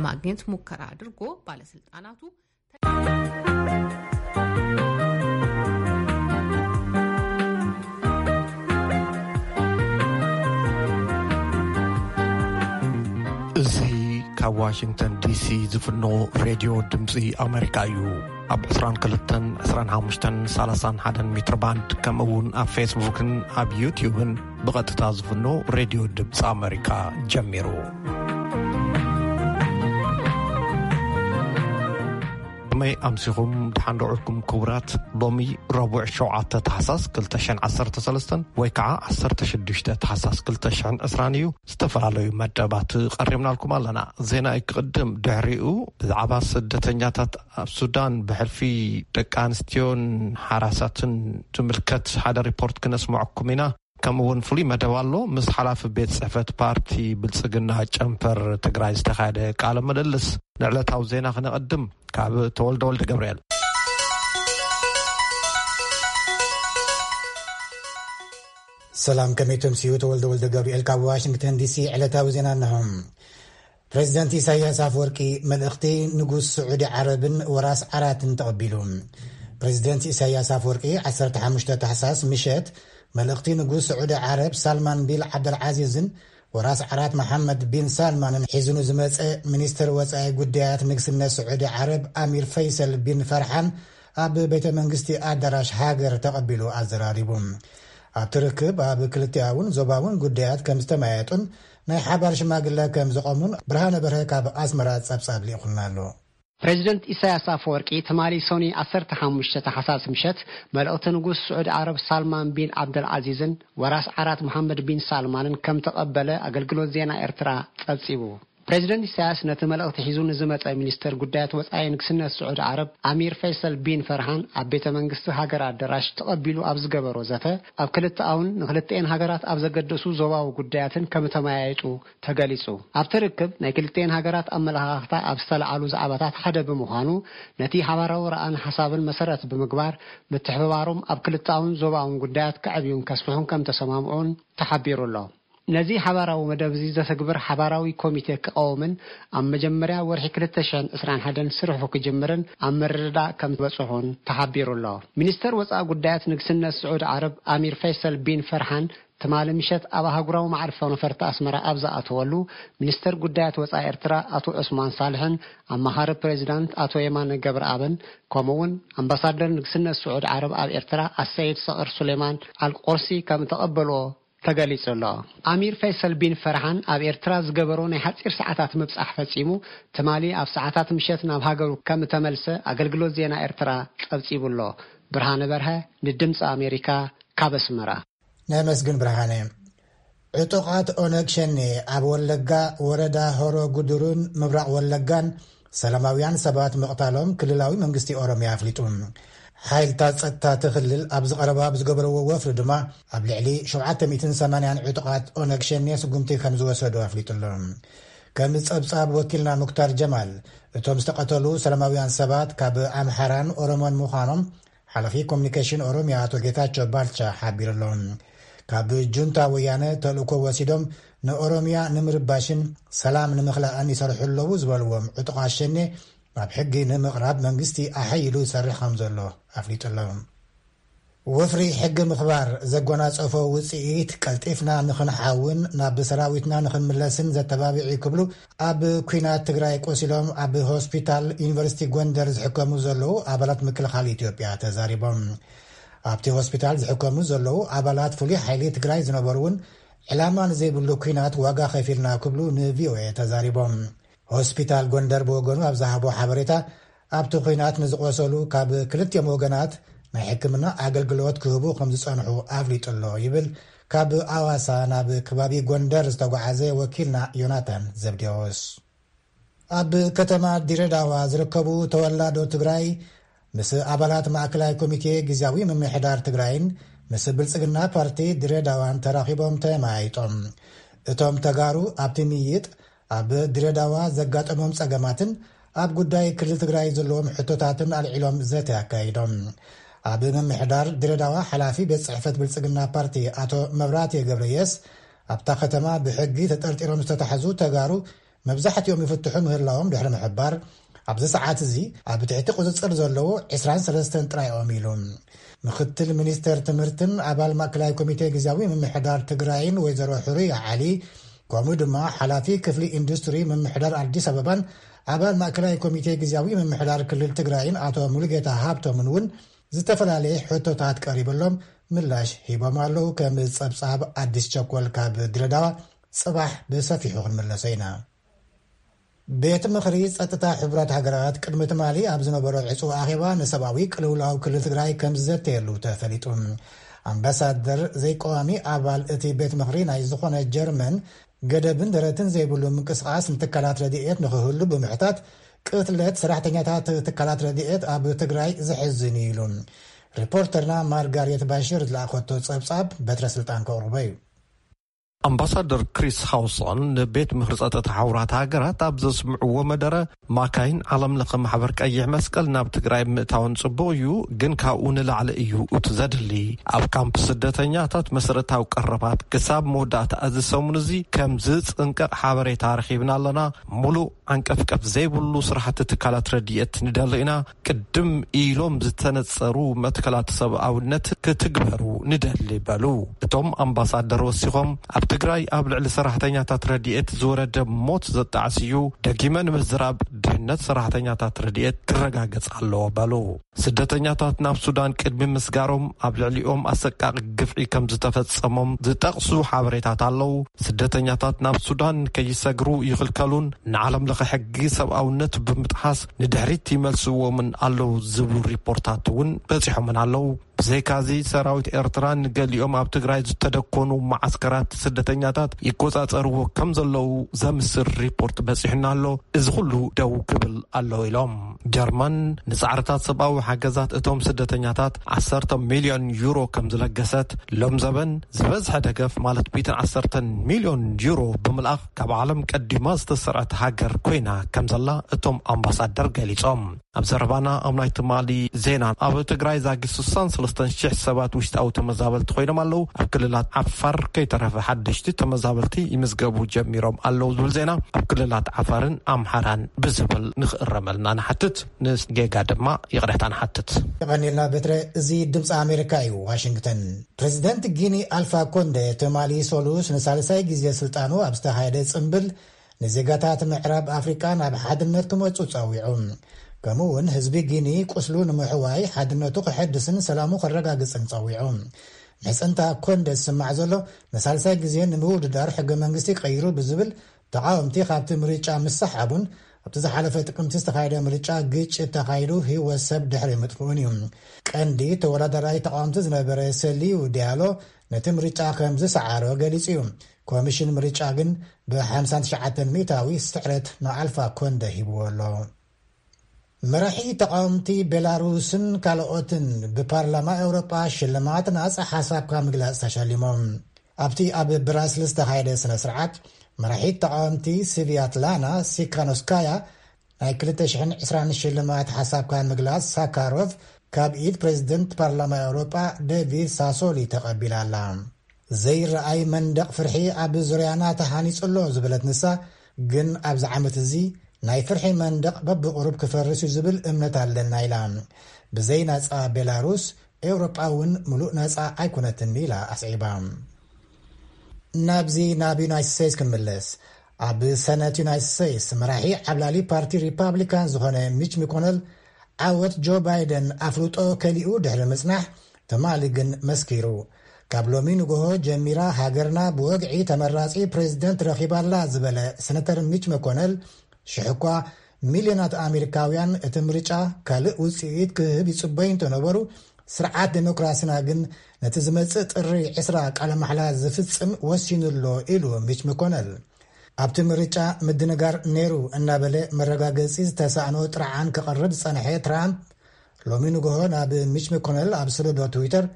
ለማግኘት ሙከራ አድርጎ ባለስልጣናቱ እዚ ካብ ዋሽንግተን ዲሲ ዝፍኖ ሬድዮ ድምፂ ኣሜሪካ እዩ። ኣብ ዕስራን ክልተን ዕስራን ሓሙሽተን ሰላሳን ሓደን ሜትር ባንድ፣ ከምኡ እውን ኣብ ፌስቡክን ኣብ ዩትዩብን ብቐጥታ ዝፍኖ ሬድዮ ድምፂ ኣሜሪካ ጀሚሩ። ከመይ ኣምሲኹም? ደሓን ዶ ውዒልኩም ክቡራት? ሎሚ ረቡዕ ሸውዓተ ታሕሳስ ክልተ ሽሕን ዓሰርተ ሰለስተን ወይ ከዓ ዓሰርተ ሽዱሽተ ታሕሳስ ክልተ ሽሕን ዕስራን እዩ። ዝተፈላለዩ መደባት ቀሪብናልኩም ኣለና። ዜና ክቕድም፣ ድሕሪኡ ብዛዕባ ስደተኛታት ኣብ ሱዳን ብሕልፊ ደቂ ኣንስትዮን ሓራሳትን ትምልከት ሓደ ሪፖርት ክነስምዐኩም ኢና። ከምኡ እውን ፍሉይ መደብ ኣሎ። ምስ ሓላፊ ቤት ጽሕፈት ፓርቲ ብልጽግና ጨንፈር ትግራይ ዝተኻየደ ቃለ ምልልስ። ንዕለታዊ ዜና ክነቐድም፣ ካብ ተወልደ ወልደ ገብርኤል። ሰላም፣ ከመይ ተምስዩ? ተወልደ ወልደ ገብርኤል ካብ ዋሽንግተን ዲሲ። ዕለታዊ ዜና እንሆ። ፕሬዚደንት ኢሳያስ ኣፈወርቂ መልእኽቲ ንጉስ ስዑዲ ዓረብን ወራስ ዓራትን ተቐቢሉ። ፕሬዚደንት ኢሳያስ ኣፈወርቂ ዓሰርተ ሓሙሽተ ታሕሳስ ምሸት መልእኽቲ ንጉስ ስዑዲ ዓረብ ሳልማን ቢል ዓብደልዓዚዝን ወራስ ዓራት መሓመድ ቢን ሳልማንን ሒዙ ንዝመጸ ሚኒስትር ወጻኢ ጉዳያት ንግስነት ስዑዲ ዓረብ ኣሚር ፈይሰል ቢን ፈርሓን ኣብ ቤተ መንግስቲ ኣዳራሽ ሃገር ተቐቢሉ ኣዘራሪቡ። ኣብቲ ርክብ ኣብ ክልቲኣውን ዞባውን ጉዳያት ከም ዝተመያየጡን ናይ ሓባር ሽማግለ ከም ዘቐሙን ብርሃነ በርሀ ካብ ኣስመራ ጸብጻብ ልኢኹልና ኣሎ። ፕሬዚደንት ኢሳያስ ኣፈወርቂ ትማሊ ሶኒ ዓሰርተ ሓሙሽተ ታሕሳስ ምሸት መልእኽቲ ንጉስ ስዑዲ ዓረብ ሳልማን ቢን ዓብደልዓዚዝን ወራስ ዓራት መሓመድ ቢን ሳልማንን ከም ተቐበለ ኣገልግሎት ዜና ኤርትራ ጸብጺቡ። ፕሬዚደንት ኢሳያስ ነቲ መልእኽቲ ሒዙ ንዝመጸ ሚኒስተር ጉዳያት ወጻኢ ንግስነት ስዑዲ ዓረብ ኣሚር ፈይሰል ቢን ፈርሃን ኣብ ቤተ መንግስቲ ሃገር ኣደራሽ ተቐቢሉ ኣብ ዝገበሮ ዘተ፣ ኣብ ክልተኣውን ንክልተኤን ሃገራት ኣብ ዘገደሱ ዞባዊ ጉዳያትን ከም ተመያየጡ ተገሊጹ። ኣብቲ ርክብ ናይ ክልተኤን ሃገራት ኣመለኻኽታ ኣብ ዝተለዓሉ ዛዕባታት ሓደ ብምዃኑ፣ ነቲ ሓባራዊ ረኣን ሓሳብን መሰረት ብምግባር፣ ምትሕብባሮም ኣብ ክልተኣውን ዞባውን ጉዳያት ከዕብዩን ከስፍሑን ከም ተሰማምዑን ተሓቢሩ ኣሎ። ነዚ ሓባራዊ መደብ እዚ ዘተግብር ሓባራዊ ኮሚቴ ክቐውምን ኣብ መጀመርያ ወርሒ ክልተ ሽሕን ዕስራን ሓደን ስርሑ ክጅምርን ኣብ ምርድዳእ ከም ዝበጽሑን ተሓቢሩ ኣሎ። ሚኒስተር ወጻኢ ጉዳያት ንግስነት ስዑድ ዓረብ ኣሚር ፈይሰል ቢን ፈርሓን ትማሊ ምሸት ኣብ ኣህጉራዊ መዓርፎ ነፈርቲ ኣስመራ ኣብ ዝኣተወሉ፣ ሚኒስተር ጉዳያት ወጻኢ ኤርትራ ኣቶ ዑስማን ሳልሕን ኣማኻሪ ፕሬዚዳንት ኣቶ የማነ ገብረኣብን ከምኡ'ውን ኣምባሳደር ንግስነት ስዑድ ዓረብ ኣብ ኤርትራ ኣሰይድ ሰቕር ሱሌማን ኣልቆርሲ ከም ተቐበልዎ ተገሊጹ ኣሎ። ኣሚር ፈይሰል ቢን ፈርሃን ኣብ ኤርትራ ዝገበሮ ናይ ሓጺር ሰዓታት ምብጻሕ ፈጺሙ፣ ትማሊ ኣብ ሰዓታት ምሸት ናብ ሃገሩ ከም እተመልሰ ኣገልግሎት ዜና ኤርትራ ጸብጺቡ ኣሎ። ብርሃነ በርሀ ንድምጺ ኣሜሪካ ካብ ኣስመራ። ነመስግን ብርሃነ። ዕጡቓት ኦነግ ሸኔ ኣብ ወለጋ ወረዳ ሆሮ ጉዱሩን ምብራቕ ወለጋን ሰላማውያን ሰባት ምቕታሎም ክልላዊ መንግስቲ ኦሮሚያ ኣፍሊጡ። ሓይልታት ጸጥታ እቲ ክልል ኣብዚ ቀረባ ብዝገበርዎ ወፍሪ ድማ ኣብ ልዕሊ ሸውዓተ ሚእትን ሰማንያን ዕጡቓት ኦነግ ሸኔ ስጉምቲ ከም ዝወሰዱ ኣፍሊጡ ኣሎ። ከም ጸብጻብ ወኪልና ሙክታር ጀማል፣ እቶም ዝተቐተሉ ሰላማውያን ሰባት ካብ ኣምሓራን ኦሮሞን ምዃኖም ሓላፊ ኮሚኒኬሽን ኦሮሚያ ኣቶ ጌታቸው ባልቻ ሓቢሩ ኣሎ። ካብ ጁንታ ወያነ ተልእኮ ወሲዶም ንኦሮሚያ ንምርባሽን ሰላም ንምኽላእን ይሰርሑ ኣለዉ ዝበልዎም ዕጡቓት ሸኔ ናብ ሕጊ ንምቕራብ መንግስቲ ኣሐይሉ ይሰርሕ ከም ዘሎ ኣፍሊጡ ኣሎ። ወፍሪ ሕጊ ምኽባር ዘጎናጸፎ ውጽኢት ቀልጢፍና ንኽንሓውን ናብ ሰራዊትና ንኽንምለስን ዘተባብዕ እዩ ክብሉ ኣብ ኲናት ትግራይ ቆሲሎም ኣብ ሆስፒታል ዩኒቨርሲቲ ጎንደር ዝሕከሙ ዘለዉ ኣባላት ምክልኻል ኢትዮጵያ ተዛሪቦም። ኣብቲ ሆስፒታል ዝሕከሙ ዘለዉ ኣባላት ፍሉይ ሓይሊ ትግራይ ዝነበሩ እውን ዕላማ ንዘይብሉ ኲናት ዋጋ ከፊልና ክብሉ ንቪኦኤ ተዛሪቦም። ሆስፒታል ጎንደር ብወገኑ ኣብ ዝሃቦ ሓበሬታ ኣብቲ ኲናት ንዝቆሰሉ ካብ ክልቲኦም ወገናት ናይ ሕክምና ኣገልግሎት ክህቡ ከም ዝጸንሑ ኣፍሊጡ ኣሎ ይብል ካብ ኣዋሳ ናብ ከባቢ ጎንደር ዝተጓዓዘ ወኪልና ዮናታን ዘብዴዎስ። ኣብ ከተማ ድሬዳዋ ዝርከቡ ተወላዶ ትግራይ ምስ ኣባላት ማእከላይ ኮሚቴ ግዝያዊ ምምሕዳር ትግራይን ምስ ብልጽግና ፓርቲ ድሬዳዋን ተራኺቦም ተመያይጦም። እቶም ተጋሩ ኣብቲ ምይይጥ ኣብ ድሬዳዋ ዘጋጠሞም ጸገማትን ኣብ ጉዳይ ክልል ትግራይ ዘለዎም ሕቶታትን ኣልዒሎም ዘተ ኣካይዶም። ኣብ ምምሕዳር ድሬዳዋ ሓላፊ ቤት ጽሕፈት ብልጽግና ፓርቲ ኣቶ መብራቴ ገብረየስ ኣብታ ከተማ ብሕጊ ተጠርጢሮም ዝተታሕዙ ተጋሩ መብዛሕትኦም ይፍትሑ ምህላዎም ድሕሪ ምሕባር፣ ኣብዚ ሰዓት እዚ ኣብ ትሕቲ ቁጽጽር ዘለዉ ዕስራን ሰለስተን ጥራይ እዮም ኢሉ። ምክትል ሚኒስተር ትምህርትን ኣባል ማእከላይ ኮሚቴ ግዝያዊ ምምሕዳር ትግራይን ወይዘሮ ሕሩያ ዓሊ፣ ከምኡ ድማ ሓላፊ ክፍሊ ኢንዱስትሪ ምምሕዳር ኣዲስ ኣበባን ኣባል ማእከላይ ኮሚቴ ግዝያዊ ምምሕዳር ክልል ትግራይን ኣቶ ሙሉጌታ ሃብቶምን እውን ዝተፈላለየ ሕቶታት ቀሪበሎም ምላሽ ሂቦም ኣለዉ። ከም ጸብጻብ ኣዲስ ቸኮል ካብ ድሬዳዋ ጽባሕ ብሰፊሑ ክንምለሶ ኢና። ቤት ምኽሪ ጸጥታ ሕቡራት ሃገራት ቅድሚ ትማሊ ኣብ ዝነበሮ ዕጹው ኣኼባ ንሰብኣዊ ቅልውላው ክልል ትግራይ ከም ዝዘተየሉ ተፈሊጡ። ኣምባሳደር ዘይቀዋሚ ኣባል እቲ ቤት ምኽሪ ናይ ዝኾነ ጀርመን፣ ገደብን ደረትን ዘይብሉ ምንቅስቓስ ንትካላት ረድኤት ንኽህሉ ብምሕታት፣ ቅትለት ሰራሕተኛታት ትካላት ረድኤት ኣብ ትግራይ ዘሕዝን እዩ ኢሉ። ሪፖርተርና ማርጋሬት ባሽር ዝለኣኸቶ ጸብጻብ በትረ ስልጣን ከቕርቦ እዩ። ኣምባሳደር ክሪስ ሃውሰን ንቤት ምኽሪ ጸጥታ ሕቡራት ሃገራት ኣብ ዘስምዕዎ መደረ፣ ማካይን ዓለም ለኸ ማሕበር ቀይሕ መስቀል ናብ ትግራይ ምእታውን ጽቡቕ እዩ፣ ግን ካብኡ ንላዕሊ እዩ እቲ ዘድሊ። ኣብ ካምፕ ስደተኛታት መሰረታዊ ቀረባት ክሳብ መወዳእታ እዚ ሰሙን እዚ ከም ዝጽንቀቕ ሓበሬታ ረኺብና ኣለና። ሙሉእ ዓንቀፍቀፍ ዘይብሉ ስራሕቲ ትካላት ረድኤት ንደሊ ኢና። ቅድም ኢሎም ዝተነጸሩ መትከላት ሰብኣውነት ክትግበሩ ንደሊ በሉ። እቶም ኣምባሳደር ወሲኾም፣ ኣብ ትግራይ ኣብ ልዕሊ ሰራሕተኛታት ረድኤት ዝወረደ ሞት ዘጣዕስ እዩ። ደጊመ ንምዝራብ፣ ድሕነት ሰራሕተኛታት ረድኤት ክረጋገጽ ኣለዎ በሉ። ስደተኛታት ናብ ሱዳን ቅድሚ ምስጋሮም ኣብ ልዕሊኦም ኣሰቃቂ ግፍዒ ከም ዝተፈጸሞም ዝጠቕሱ ሓበሬታት ኣለዉ። ስደተኛታት ናብ ሱዳን ከይሰግሩ ይኽልከሉን ንዓለም ለኸ ሕጊ ሰብኣውነት ብምጥሓስ ንድሕሪት ይመልስዎምን ኣለዉ ዝብሉ ሪፖርታት እውን በጺሖምን ኣለዉ። ብዘይካዚ ሰራዊት ኤርትራ ንገሊኦም ኣብ ትግራይ ዝተደኮኑ መዓስከራት ስደተኛታት ይቆጻጸርዎ ከም ዘለዉ ዘምስር ሪፖርት በጺሑና ኣሎ። እዚ ኩሉ ደው ክብል ኣለዎ ኢሎም። ጀርመን ንጻዕርታት ሰብኣዊ ሓገዛት እቶም ስደተኛታት ዓሰርተ ሚልዮን ዩሮ ከም ዝለገሰት፣ ሎም ዘበን ዝበዝሐ ደገፍ ማለት ሚእትን ዓሰርተን ሚልዮን ዩሮ ብምልኣኽ ካብ ዓለም ቀዲማ ዝተሰርዐት ሃገር ኮይና ከም ዘላ እቶም ኣምባሳደር ገሊጾም። ኣብ ዘረባና ኣብ ናይ ትማሊ ዜና፣ ኣብ ትግራይ ዛጊድ ስሳን ሰለስተን ሽሕ ሰባት ውሽጣዊ ተመዛበልቲ ኮይኖም ኣለዉ። ኣብ ክልላት ዓፋር ከይተረፈ ሓደሽቲ ተመዛበልቲ ይምዝገቡ ጀሚሮም ኣለዉ ዝብል ዜና፣ ኣብ ክልላት ዓፋርን ኣምሓራን ብዝብል ንኽእረመልና ንሓትት፣ ንጌጋ ድማ ይቕሬታ ንሓትት። የቐኒልና በትረ። እዚ ድምፂ ኣሜሪካ እዩ፣ ዋሽንግተን። ፕሬዚደንት ጊኒ ኣልፋ ኮንደ ትማሊ ሰሉስ ንሳልሳይ ግዜ ስልጣኑ ኣብ ዝተኻየደ ጽምብል፣ ንዜጋታት ምዕራብ ኣፍሪቃ ናብ ሓድነት ክመጹ ጸዊዑ። ከምኡ እውን ህዝቢ ጊኒ ቁስሉ ንምሕዋይ ሓድነቱ ክሕድስን ሰላሙ ከረጋግጽን ጸዊዑ። ምሕጽንታ ኮንደ ዝስማዕ ዘሎ ንሳልሳይ ግዜ ንምውድዳር ሕገ መንግስቲ ቀይሩ ብዝብል ተቓወምቲ ካብቲ ምርጫ ምስሓቡን ኣብቲ ዝሓለፈ ጥቅምቲ ዝተኻየደ ምርጫ ግጭት ተኻይዱ ህይወት ሰብ ድሕሪ ምጥፍኡን እዩ። ቀንዲ ተወዳዳራይ ተቓወምቲ ዝነበረ ሰሊዩ ዲያሎ ነቲ ምርጫ ከም ዝሰዓሮ ገሊጹ እዩ። ኮሚሽን ምርጫ ግን ብ ሓምሳን ትሽዓተን ሚእታዊ ስዕረት ንኣልፋ ኮንደ ሂብዎ ኣሎ። መራሒ ተቓወምቲ ቤላሩስን ካልኦትን ብፓርላማ ኤውሮጳ ሽልማት ናጻ ሓሳብካ ምግላጽ ተሸሊሞም። ኣብቲ ኣብ ብራስልስ ዝተኻየደ ስነ ስርዓት፣ መራሒት ተቓወምቲ ስቪያትላና ሲካኖስካያ ናይ ክልተ ሽሕን ዕስራን ሽልማት ሓሳብካ ምግላጽ ሳካሮቭ ካብ ኢድ ፕሬዚደንት ፓርላማ ኤውሮጳ ዴቪድ ሳሶሊ ተቐቢላ ኣላ። ዘይረኣይ መንደቕ ፍርሒ ኣብ ዙርያና ተሃኒጹ ኣሎ ዝበለት ንሳ፣ ግን ኣብዚ ዓመት እዚ ናይ ፍርሒ መንደቕ በብቕሩብ ክፈርስ እዩ ዝብል እምነት ኣለና ኢላ። ብዘይ ናጻ ቤላሩስ፣ ኤውሮጳ እውን ምሉእ ናጻ ኣይኮነትን ኢላ ኣስዒባ። ናብዚ ናብ ዩናይትድ ስቴትስ ክንምለስ። ኣብ ሰነት ዩናይትድ ስቴትስ መራሒ ዓብላሊ ፓርቲ ሪፓብሊካን ዝኾነ ሚች ሚኮነል ዓወት ጆ ባይደን ኣፍልጦ ከሊኡ ድሕሪ ምጽናሕ፣ ትማሊ ግን መስኪሩ። ካብ ሎሚ ንግሆ ጀሚራ ሃገርና ብወግዒ ተመራጺ ፕሬዚደንት ረኺባላ ዝበለ ሰነተር ሚች መኮነል፣ ሽሕ እኳ ሚልዮናት ኣሜሪካውያን እቲ ምርጫ ካልእ ውጽኢት ክህብ ይጽበዩ እንተነበሩ፣ ስርዓት ዴሞክራሲና ግን ነቲ ዝመጽእ ጥሪ ዕስራ ቃለ ማሕላ ዝፍጽም ወሲኑ ኣሎ ኢሉ ሚች መኮነል። ኣብቲ ምርጫ ምድንጋር ነይሩ እናበለ መረጋገጺ ዝተሳእኖ ጥርዓን ክቕርብ ዝጸንሐ ትራምፕ፣ ሎሚ ንግሆ ናብ ሚች መኮነል ኣብ ሰደዶ ትዊተር፣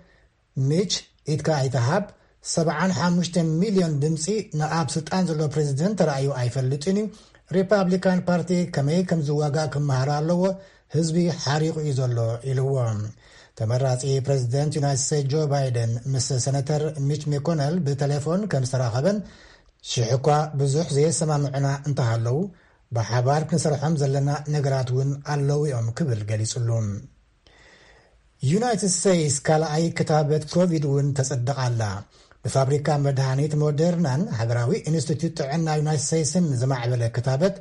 ሚች፣ ኢድካ ኣይትሃብ፣ ሰብዓን ሓሙሽተ ሚልዮን ድምጺ ንኣብ ስልጣን ዘሎ ፕሬዚደንት ተራእዩ ኣይፈልጥን እዩ። ሪፓብሊካን ፓርቲ ከመይ ከም ዝዋጋእ ክመሃር ኣለዎ፣ ህዝቢ ሓሪቑ እዩ ዘሎ ኢልዎ። ተመራጺ ፕሬዚደንት ዩናይትድ ስቴትስ ጆ ባይደን ምስ ሰነተር ሚች መኮነል ብቴሌፎን ከም ዝተራኸበን ሽሕ እኳ ብዙሕ ዘየሰማምዑና እንተሃለዉ፣ ብሓባር ክንሰርሖም ዘለና ነገራት እውን ኣለዉ እዮም ክብል ገሊጹሉ። ዩናይትድ ስቴትስ ካልኣይ ክታበት ኮቪድ እውን ተጸድቓ ኣላ። ብፋብሪካ መድሃኒት ሞደርናን ሃገራዊ ኢንስቲትዩት ጥዕና ዩናይትድ ስቴትስን ዝማዕበለ ክታበት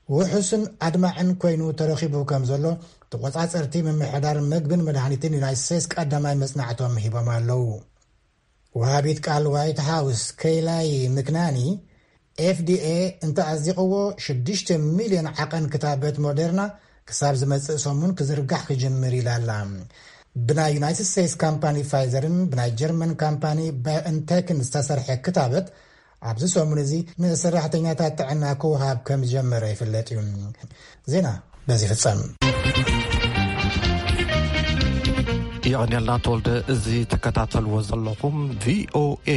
ውሑስን ኣድማዕን ኮይኑ ተረኺቡ ከም ዘሎ ተቆጻጸርቲ ምምሕዳር መግብን መድሃኒትን ዩናይትድ ስቴትስ ቀዳማይ መጽናዕቶም ሂቦም ኣለዉ። ወሃቢት ቃል ዋይት ሃውስ ከይላይ ምክናኒ፣ ኤፍዲኤ እንተኣዚቕዎ ሽዱሽተ ሚልዮን ዓቐን ክታበት ሞደርና ክሳብ ዝመጽእ ሰሙን ክዝርጋሕ ክጅምር ኢላ ኣላ። ብናይ ዩናይትድ ስቴትስ ካምፓኒ ፋይዘርን ብናይ ጀርመን ካምፓኒ ባዮንቴክን ዝተሰርሐ ክታበት ኣብዚ ሰሙን እዚ ንሰራሕተኛታት ጥዕና ክወሃብ ከም ዝጀመረ ይፍለጥ እዩ። ዜና በዚ ፍጸም። የቐንየልና ተወልደ። እዚ ትከታተልዎ ዘለኹም ቪኦኤ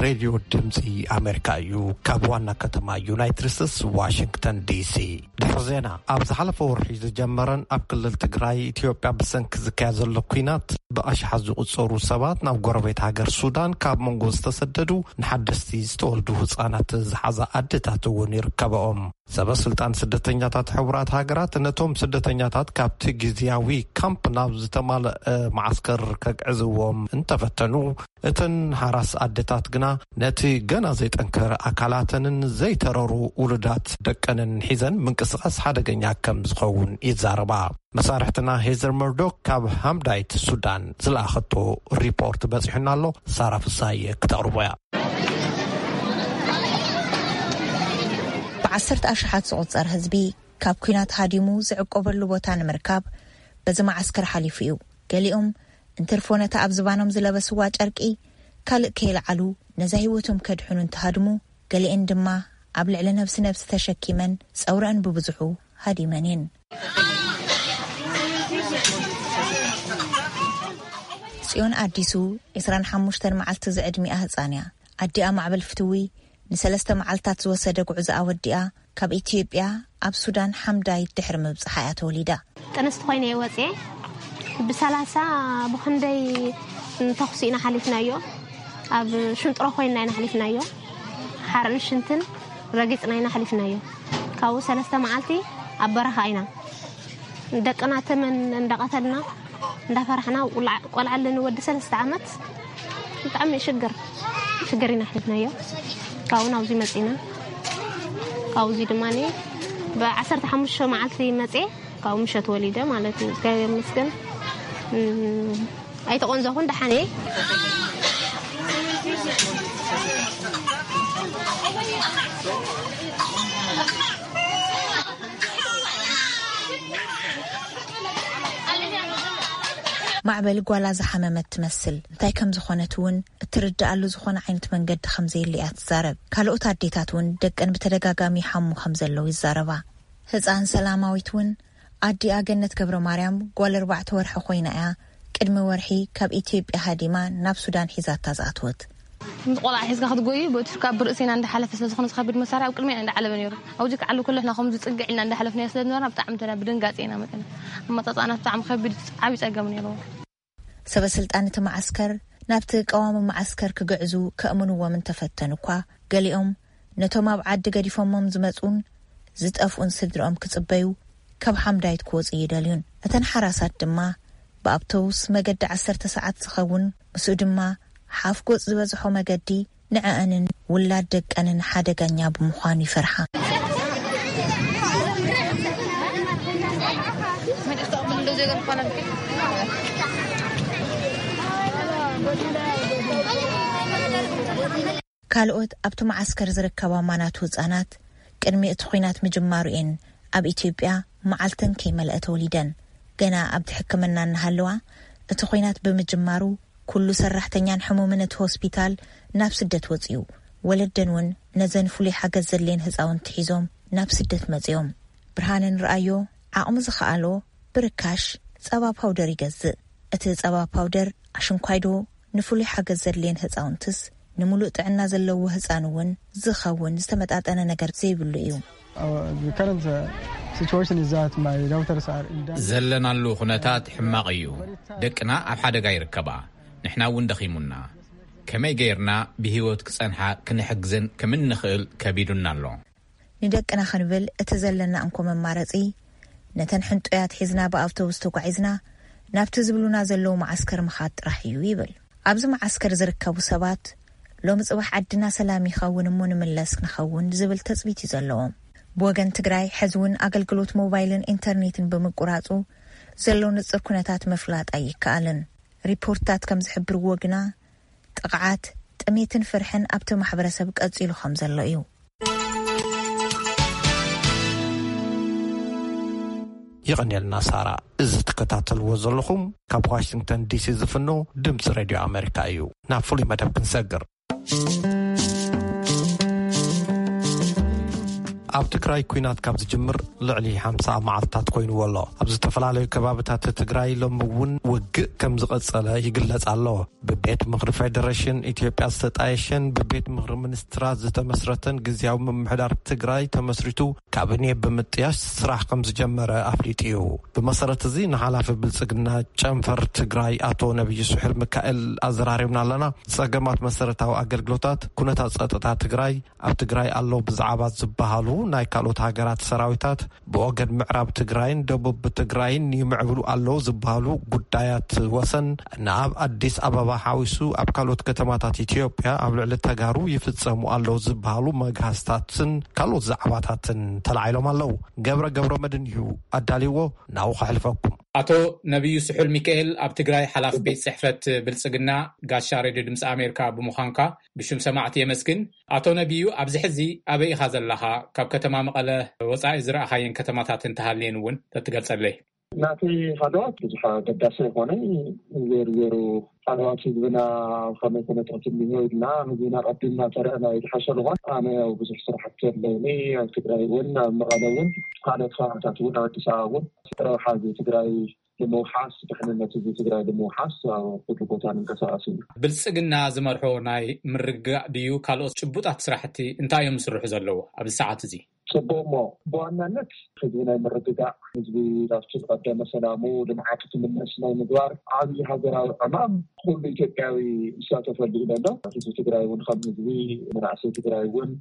ሬድዮ ድምፂ ኣሜሪካ እዩ፣ ካብ ዋና ከተማ ዩናይትድ ስቴትስ ዋሽንግተን ዲሲ። ድሕሪ ዜና፣ ኣብ ዝሓለፈ ወርሒ ዝጀመረን ኣብ ክልል ትግራይ ኢትዮጵያ ብሰንኪ ዝካየድ ዘሎ ኲናት ብኣሽሓት ዝቑጸሩ ሰባት ናብ ጎረቤት ሃገር ሱዳን ካብ መንጎ ዝተሰደዱ ንሓደስቲ ዝተወልዱ ህጻናት ዝሓዛ ኣደታት እውን ይርከብኦም። ሰበ ስልጣን ስደተኛታት ሕቡራት ሃገራት ነቶም ስደተኛታት ካብቲ ግዝያዊ ካምፕ ናብ ዝተማልአ መዓስከር ከግዕዝዎም እንተፈተኑ፣ እተን ሓራስ ኣደታት ግና ነቲ ገና ዘይጠንከረ ኣካላተንን ዘይተረሩ ውሉዳት ደቀንን ሒዘን ምንቅስቓስ ሓደገኛ ከም ዝኸውን ይዛረባ። መሳርሕትና ሄዘር መርዶክ ካብ ሃምዳይት ሱዳን ዝለኣኸቶ ሪፖርት በጺሑና ኣሎ። ሳራ ፍሳየ ክተቕርቦ እያ። ብዓሰርተ ኣሽሓት ዝቑጸር ህዝቢ ካብ ኲናት ሃዲሙ ዝዕቆበሉ ቦታ ንምርካብ በዚ መዓስከር ሓሊፉ እዩ። ገሊኦም እንትርፎ ነታ ኣብ ዝባኖም ዝለበስዋ ጨርቂ ካልእ ከየልዓሉ ነዛ ህይወቶም ከድሕኑ እንትሃድሙ፣ ገሊኤን ድማ ኣብ ልዕሊ ነብሲ ነብሲ ተሸኪመን ጸውረአን ብብዝሑ ሃዲመን እየን። ጽዮን ኣዲሱ ዕስራን ሓሙሽተን መዓልቲ ዝዕድሚኣ ህጻን እያ። ኣዲኣ ማዕበል ፍትዊ ንሰለስተ መዓልታት ዝወሰደ ጉዕዞኣ ወዲኣ ካብ ኢትዮጵያ ኣብ ሱዳን ሓምዳይት ድሕሪ ምብጽሓ እያ ተወሊዳ። ጥንስቲ ኮይነ እየ ወፅየ። ብሰላሳ ብክንደይ ተኹሲ ኢና ሓሊፍናዮ። ኣብ ሽንጥሮ ኮይና ኢና ሓሊፍናዮ። ሓርን ሽንትን ረጊፅና ኢና ሓሊፍናዮ። ካብኡ ሰለስተ መዓልቲ ኣብ በረኻ ኢና። ደቅና ተመን እንዳቐተልና እንዳፈራሕና፣ ቆልዓ፣ ቆልዓ ኣለኒ ወዲ ሰለስተ ዓመት። ብጣዕሚ ሽግር፣ ሽግር ኢና ኣሕሊፍናዮ። ካብኡ ናብዚ መፂና። ካብዚ ድማ ብ15 መዓልቲ መፅየ፣ ካብኡ ምሸት ወሊደ ማለት እዩ። እግዚኣብሔር ይመስገን። እም፣ ኣይተቆንዘኹን፣ ደሓን እየ። ማዕበል ጓላ ዝሓመመት ትመስል። እንታይ ከም ዝኾነት እውን እትርድኣሉ ዝኾነ ዓይነት መንገዲ ከም ዘየለ እያ ትዛረብ። ካልኦት ኣዴታት እውን ደቀን ብተደጋጋሚ ይሓሙ ከም ዘለዉ ይዛረባ። ህፃን ሰላማዊት እውን ኣዲኣ ገነት ገብረ ማርያም ጓል ኣርባዕተ ወርሒ ኮይና እያ ቅድሚ ወርሒ ካብ ኢትዮጵያ ሃዲማ ናብ ሱዳን ሒዛታ ዝኣተወት። ምስ ቆልዓ ሒዝካ ክትጎዩ፣ በቲ ካብ ብርእሲና እንዳሓለፈ ስለ ዝኾነ ዝኸብድ መሳርያ ኣብ ቅድሚና እንዳዓለበ ነይሩ። ኣብዚ ክዓሉ ከሎ ንሕና ከምዚ ጽግዕ ኢልና እንዳሓለፍናዮ ስለ ዝነበርና ብጣዕሚ እንተና ብድንጋጼ ኢና መጺና። ኣመጻጽኣና ብጣዕሚ ከቢድ፣ ዓቢ ጸገም ነይርዎ። ሰበ ስልጣን እቲ መዓስከር ናብቲ ቀዋሚ መዓስከር ክግዕዙ ከእምንዎም እንተፈተኑ እኳ፣ ገሊኦም ነቶም ኣብ ዓዲ ገዲፎሞም ዝመጹን ዝጠፍኡን ስድርኦም ክጽበዩ ካብ ሓምዳይት ክወጹ ይደልዩን። እተን ሓራሳት ድማ ብኣውቶቡስ መገዲ ዓሰርተ ሰዓት ዝኸውን፣ ምስኡ ድማ ሓፍ ጎጽ ዝበዝሖ መገዲ ንዕኣንን ውላድ ደቀንን ሓደገኛ ብምዃኑ ይፈርሓ። ካልኦት ኣብቲ መዓስከር ዝርከባ ማናቱ ህጻናት ቅድሚ እቲ ኹናት ምጅማሩ እየን ኣብ ኢትዮጵያ መዓልተን ከይመልአ ተወሊደን። ገና ኣብቲ ሕክምና እናሃለዋ እቲ ኹናት ብምጅማሩ ኩሉ ሰራሕተኛን ሕሙምን እቲ ሆስፒታል ናብ ስደት ወጺኡ። ወለደን እውን ነዘን ፍሉይ ሓገዝ ዘድልየን ህጻውንቲ ሒዞም ናብ ስደት መጺኦም። ብርሃንን ረኣዮ ዓቕሙ ዝኸኣሎ ብርካሽ ጸባ ፓውደር ይገዝእ። እቲ ጸባ ፓውደር ኣሽንኳይዶ ንፍሉይ ሓገዝ ዘድልየን ህጻውንትስ ንምሉእ ጥዕና ዘለዎ ህጻን እውን ዝኸውን ዝተመጣጠነ ነገር ዘይብሉ እዩ። Our, the current, uh, situation is that my daughters are in danger. ዘለናሉ ኩነታት ሕማቕ እዩ። ደቅና ኣብ ሓደጋ ይርከባ። ንሕና እውን ደኺሙና። ከመይ ገይርና ብህይወት ክጸንሓ ክንሕግዘን ከም እንኽእል ከቢዱና ኣሎ። ንደቅና ክንብል እቲ ዘለና እንኮ መማረጺ፣ ነተን ሕንጡያት ሒዝና ብኣውቶቡስ ተጓዒዝና ናብቲ ዝብሉና ዘለዉ መዓስከር ምኻድ ጥራሕ እዩ ይብል። ኣብዚ መዓስከር ዝርከቡ ሰባት፣ ሎሚ ጽባሕ ዓድና ሰላም ይኸውን እሞ ንምለስ ክንኸውን ዝብል ተጽቢት እዩ ዘለዎም። ብወገን ትግራይ፣ ሕዚ እውን ኣገልግሎት ሞባይልን ኢንተርኔትን ብምቁራጹ ዘሎ ንጹር ኩነታት ምፍላጥ ኣይከኣልን። ሪፖርትታት ከም ዝሕብርዎ ግና፣ ጥቕዓት፣ ጥሜትን ፍርሕን ኣብቲ ማሕበረሰብ ቀጺሉ ከም ዘሎ እዩ። ይቐንየልና ሳራ። እዚ ትከታተልዎ ዘለኹም ካብ ዋሽንግተን ዲሲ ዝፍኖ ድምፂ ሬድዮ ኣሜሪካ እዩ። ናብ ፍሉይ መደብ ክንሰግር። ኣብ ትግራይ ኲናት ካብ ዝጅምር ልዕሊ ሓምሳ መዓልታት ኮይንዎ ኣሎ። ኣብ ዝተፈላለዩ ከባብታት ትግራይ ሎም እውን ውግእ ከም ዝቐጸለ ይግለጽ ኣሎ። ብቤት ምኽሪ ፌደሬሽን ኢትዮጵያ ዝተጣየሸን ብቤት ምኽሪ ሚኒስትራት ዝተመስረተን ግዝያዊ ምምሕዳር ትግራይ ተመስሪቱ ካቢኔ ብምጥያሽ ስራሕ ከም ዝጀመረ ኣፍሊጡ እዩ። ብመሰረት እዚ ንሓላፊ ብልጽግና ጨንፈር ትግራይ ኣቶ ነብዩ ስሑል ሚካኤል ኣዘራሪብና ኣለና። ጸገማት መሰረታዊ ኣገልግሎታት፣ ኩነታት ጸጥታ ትግራይ፣ ኣብ ትግራይ ኣለዉ ብዛዕባ ዝበሃሉ ናይ ካልኦት ሃገራት ሰራዊታት ብወገን ምዕራብ ትግራይን ደቡብ ትግራይን ይምዕብሉ ኣለዉ ዝበሃሉ ጉዳያት ወሰን ንኣብ ኣዲስ ኣበባ ሓዊሱ ኣብ ካልኦት ከተማታት ኢትዮጵያ ኣብ ልዕሊ ተጋሩ ይፍጸሙ ኣለዉ ዝበሃሉ መግሃስታትን ካልኦት ዛዕባታትን ተላዒሎም ኣለዉ። ገብረ ገብረ መድን እዩ ኣዳልይዎ። ናብኡ ከሕልፈኩም። ኣቶ ነቢዩ ስሑል ሚካኤል፣ ኣብ ትግራይ ሓላፊ ቤት ጽሕፈት ብልጽግና፣ ጋሻ ሬድዮ ድምፂ ኣሜሪካ ብምዃንካ ብሽም ሰማዕቲ የመስግን። ኣቶ ነቢዩ፣ ኣብዚ ሕዚ ኣበይ ኢኻ ዘለኻ? ካብ ከተማ መቐለ ወፃኢ ዝረኣኻየን ከተማታት እንተሃልየን እውን ተትገልፀለይ። ናተይ ሃለዋት ብዙሕ ኣገዳሲ ኣይኮነን። ዜሩ ዜሩ ሃለዋት ህዝብና ኣብ ከመይ ኩነታት እኒሆ ኢልና ህዝብና ቀዲምና ተረእና እዩ ዝሓሸ። ዝኾን ኣነ ያው ብዙሕ ስራሕቲ ኣለኒ ኣብ ትግራይ እውን ኣብ መቐለ እውን ካልኦት ከባቢታት እውን ኣብ ኣዲስ ኣበባ እውን ረብሓ ህዝቢ ትግራይ ንምውሓስ፣ ድሕንነት ህዝቢ ትግራይ ንምውሓስ ኣብ ኩሉ ቦታ ንንቀሳቐስ እዩ። ብልፅግና ዝመርሖ ናይ ምርግጋእ ድዩ ካልኦት ጭቡጣት ስራሕቲ እንታይ እዮም ዝስርሑ ዘለዉ ኣብዚ ሰዓት እዚ? ፅቡቅ እሞ ብዋናነት ህዝቢ ናይ ምርግጋእ፣ ህዝቢ ናብቲ ዝቀደመ ሰላሙ ልምዓቱ ክምለስ ናይ ምግባር ዓብዪ ሃገራዊ ዕማም ኩሉ ኢትዮጵያዊ ይሳተፈሉ እዩ ዘሎ። ህዝቢ ትግራይ እውን ከም ህዝቢ፣ መናእሰይ ትግራይ እውን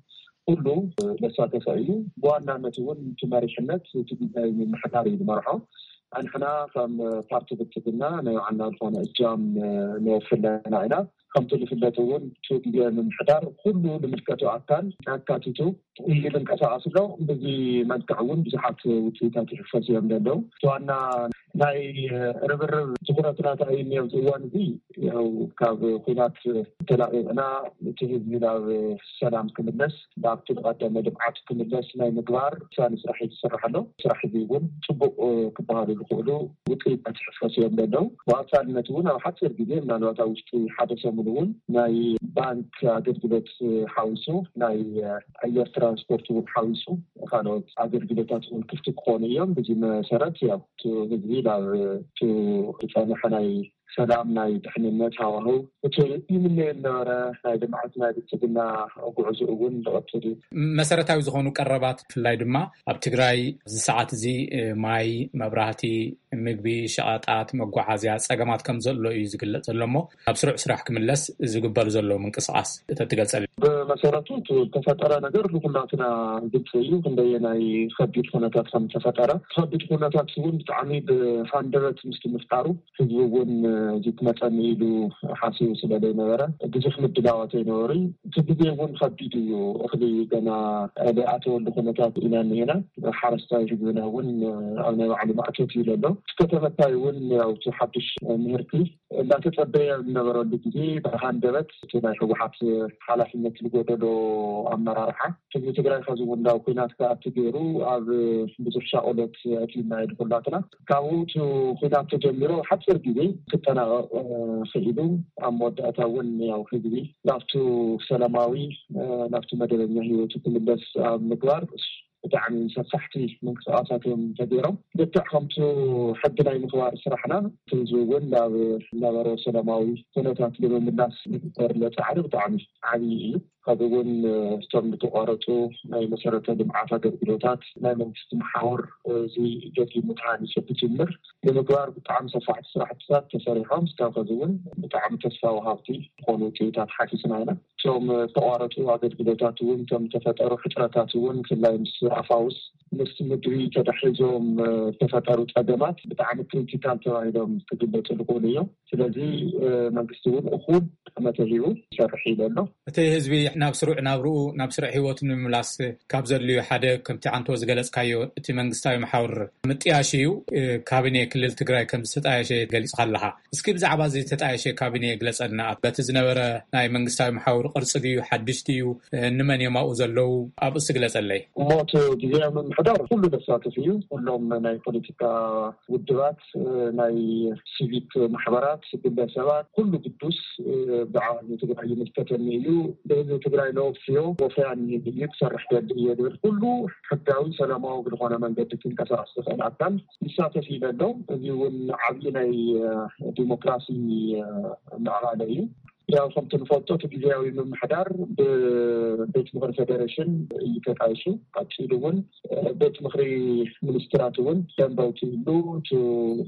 ኩሉ ለሳተፈ እዩ። ብዋናነት እውን እቲ መሪሕነት እቲ ግዝያዊ ምምሕዳር እዩ ዝመርሖ። ኣንሕና ከም ፓርቲ ብልፅግና ናይ ባዕልና ዝኾነ እጃም ነወፍለና ኢና። ከምቲ ዝፍለጥ እውን እቲ ግዝያዊ ምምሕዳር ኩሉ ዝምልከቶ ኣካል ኣካቲቱ እዩ ዝንቀሳቐስ ኣሎ። በዚ መልክዕ እውን ብዙሓት ውፅኢታት ይሕፈሱ እዮም ዘለዉ። እቲ ዋና ናይ ርብርብ ትኹረትና እንታይ እዩ ኣብዚ እዋን እዚ? ያው ካብ ኲናት ተላቒቕና እቲ ህዝቢ ናብ ሰላም ክምለስ፣ ናብቲ ዝቐደመ ልምዓት ክምለስ ናይ ምግባር ውሳኒ ስራሕ እዩ ዝስራሕ ኣሎ። ስራሕ እዚ እውን ፅቡቕ ክበሃሉ ዝኽእሉ ውፅኢታት ይሕፈሱ እዮም ዘለዉ። ብኣንፃርነት እውን ኣብ ሓፂር ግዜ ምናልባት ኣብ ውሽጢ ሓደ ሰሙን እውን ናይ ባንክ ኣገልግሎት ሓዊሱ ናይ ኣየር ትራንስፖርት እውን ሓዊሱ ካልኦት ኣገልግሎታት እውን ክፍቲ ክኾኑ እዮም። በዚ መሰረት ያው እቲ ህዝቢ ናብ እቲ ዝፀንሐ ናይ ሰላም ናይ ድሕንነት ሃዋህው እቲ ይምነዮ ዝነበረ ናይ ልምዓት ናይ ብልፅግና ጉዕዞ እውን ዝቐፅል እዩ። መሰረታዊ ዝኾኑ ቀረባት ብፍላይ ድማ ኣብ ትግራይ እዚ ሰዓት እዚ ማይ፣ መብራህቲ፣ ምግቢ፣ ሸቐጣት፣ መጓዓዝያ ፀገማት ከም ዘሎ እዩ ዝግለፅ ዘሎ እሞ ናብ ስሩዕ ስራሕ ክምለስ ዝግበር ዘሎ ምንቅስቃስ ተትገልፀልና። ብመሰረቱ እቲ ዝተፈጠረ ነገር ንኩላትና ግልፂ እዩ ክንደየናይ ከቢድ ኩነታት ከም ዝተፈጠረ። ከቢድ ኩነታት እውን ብጣዕሚ ብሃንደበት ምስቲ ምፍጣሩ ህዝቢ እውን እዚ ክመፀኒ ኢሉ ሓሲቡ ስለ ዘይነበረ ብዙሕ ምድላዋት ኣይነበሩን። እቲ ግዜ እውን ከቢድ እዩ። እኽሊ ገና ዘይኣተወሉ ኩነታት ኢና እኒሄና። ሓረስታይ ህዝብና እውን ኣብ ናይ ባዕሉ ማእቶት እዩ ዘሎ። እቲ ከተመታይ እውን ያው እቲ ሓዱሽ ምህርቲ እናተፀበየ ዝነበረሉ ግዜ ብሃንደበት እቲ ናይ ህወሓት ሓላፍነት ዝጎደሎ ኣመራርሓ ህዝቢ ትግራይ ከዚ እውን ናብ ኲናት ክኣቱ ገይሩ ኣብ ብዙሕ ሻቆሎት ኣእትዩና እዩ ንኩላትና። ካብኡ እቲ ኲናት ተጀሚሩ ሓፂር ግዜ ክጠናቐቕ ክኢሉ ኣብ መወዳእታ እውን ያው ህዝቢ ናብቱ ሰላማዊ ናብቱ መደበኛ ህይወቱ ክምለስ ኣብ ምግባር ብጣዕሚ ሰፋሕቲ ምንቅስቃሳት እዮም ተገይሮም። ልክዕ ከምቱ ሕጊ ናይ ምኽባር ስራሕና ህዝቢ እውን ናብ ነበሮ ሰላማዊ ኩነታት ንምምላስ ዝግበር ዘሎ ፃዕሪ ብጣዕሚ ዓብዪ እዩ። ካብኡ እውን እቶም ዝተቋረፁ ናይ መሰረተ ልምዓት ኣገልግሎታት፣ ናይ መንግስቲ መሓውር፣ እዚ ደጊሙ ተሃኒፁ ክጅምር ንምግባር ብጣዕሚ ሰፋሕቲ ስራሕትታት ተሰሪሖም። እስካብ ከዚ እውን ብጣዕሚ ተስፋ ወሃብቲ ዝኾኑ ውፅኢታት ሓቲትና ኢና። እቶም ዝተቋረፁ ኣገልግሎታት እውን፣ እቶም ዝተፈጠሩ ሕፅረታት እውን፣ ብፍላይ ምስ ኣፋውስ፣ ምስ ምድሪ ተታሒዞም ዝተፈጠሩ ፀገማት ብጣዕሚ ክሪቲካል ተባሂሎም ክግለፁ ዝኽእሉ እዮም። ስለዚ መንግስቲ እውን እኹል ጠመተ ሂቡ ይሰርሕ ኢለ ኣሎ። እቲ ህዝቢ ናብ ስሩዕ ናብርኡ፣ ናብ ስሩዕ ህይወቱ ንምምላስ ካብ ዘድልዩ ሓደ፣ ከምቲ ዓንቶ ዝገለጽካዮ፣ እቲ መንግስታዊ መሓውር ምጥያሽ እዩ። ካቢኔ ክልል ትግራይ ከም ዝተጣየሸ ገሊጽካ ኣለኻ። እስኪ ብዛዕባ እዚ ዝተጣየሸ ካቢኔ ግለጸልና። በቲ ዝነበረ ናይ መንግስታዊ መሓውር ቅርጺ ድዩ፣ ሓድሽ ድዩ፣ እንመን እዮም ኣብኡ ዘለዉ? ኣብኡ እስኪ ግለጸለይ። እሞ እቲ ግዜያዊ ምምሕዳር ኩሉ ዘሳትፍ እዩ። ኩሎም ናይ ፖለቲካ ውድባት፣ ናይ ሲቪክ ማሕበራት፣ ግለሰባት፣ ኩሉ ግዱስ ብዓል ትግራይ ይምልከተኒ እዩ። ብህዝቢ ትግራይ ለወፍዮ ወፈያን እዩ ክሰርሕ ደሊ እየ ዝብል ኩሉ ሕጋዊ፣ ሰላማዊ ብዝኾነ መንገዲ ክንቀሳቀስ ዝኽእል ኣካል ይሳተፍ ኢለ ኣሎ። እዚ እውን ዓብዪ ናይ ዲሞክራሲ ምዕባለ እዩ። ያው ከምቲ ንፈልጦ እቲ ግዜያዊ ምምሕዳር ብቤት ምኽሪ ፌዴሬሽን እዩ ተጣይሹ። ቀፂሉ እውን ቤት ምኽሪ ሚኒስትራት እውን ደንበ ኣውፂእሉ፣ እቲ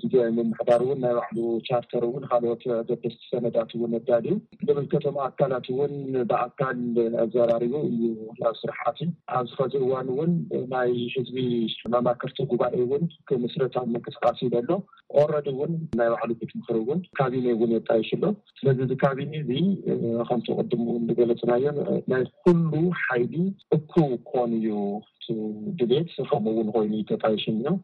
ግዜያዊ ምምሕዳር እውን ናይ ባዕሉ ቻርተር እውን ካልኦት ኣገደስቲ ሰነዳት እውን ኣዳልዩ፣ ዝምልከቶም ኣካላት እውን ብኣካል ኣዘራሪቡ እዩ ናብ ስራሕ ኣትዩ። ኣብዚ ኸዚ እዋን እውን ናይ ህዝቢ መማክርቲ ጉባኤ እውን ክምስረት ኣብ ምንቅስቃስ እዩ ዘሎ። ኦረዲ እውን ናይ ባዕሉ ቤት ምኽሪ እውን ካቢኔ እውን የጣይሽ ኣሎ። ስለዚ እዚ ካቢኔ እዚ ከምቲ ቅድም እውን ዝገለፅናዮ ናይ ኩሉ ሓይሊ እኩብ ክኾን እዩ ድሌት፣ ከምኡ እውን ኮይኑ ተጣይሽን እዮም።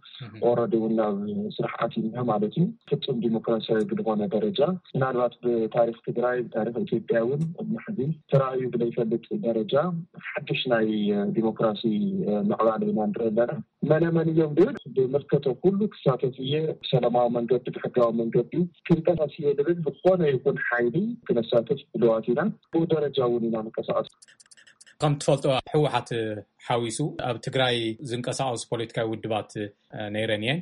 ኦረዲ እውን ናብ ስራሕ ኣትዩና ማለት እዩ። ፍፁም ዲሞክራሲያዊ ብዝኾነ ደረጃ፣ ምናልባት ብታሪክ ትግራይ፣ ብታሪክ ኢትዮጵያ እውን ቅድሚ ሕዚ ተራእዩ ብለይፈልጥ ደረጃ ሓድሽ ናይ ዲሞክራሲ ምዕባለ ኢና ንርኢ ኣለና። መነ መን እዮም ድብል ብምልከቶ ኩሉ ክሳተፍ እየ፣ ብሰላማዊ መንገዲ፣ ብሕጋዊ መንገዲ ክንቀሳቀስ እየ ድብል ዝኾነ ይኹን ሓይሊ ክነሳተፍ ድልዋት ኢና። ብኡ ደረጃ እውን ኢና ንቀሳቀስ። ከም ትፈልጦ፣ ህወሓት ሓዊሱ ኣብ ትግራይ ዝንቀሳቀሱ ፖለቲካዊ ውድባት ነይረን እየን።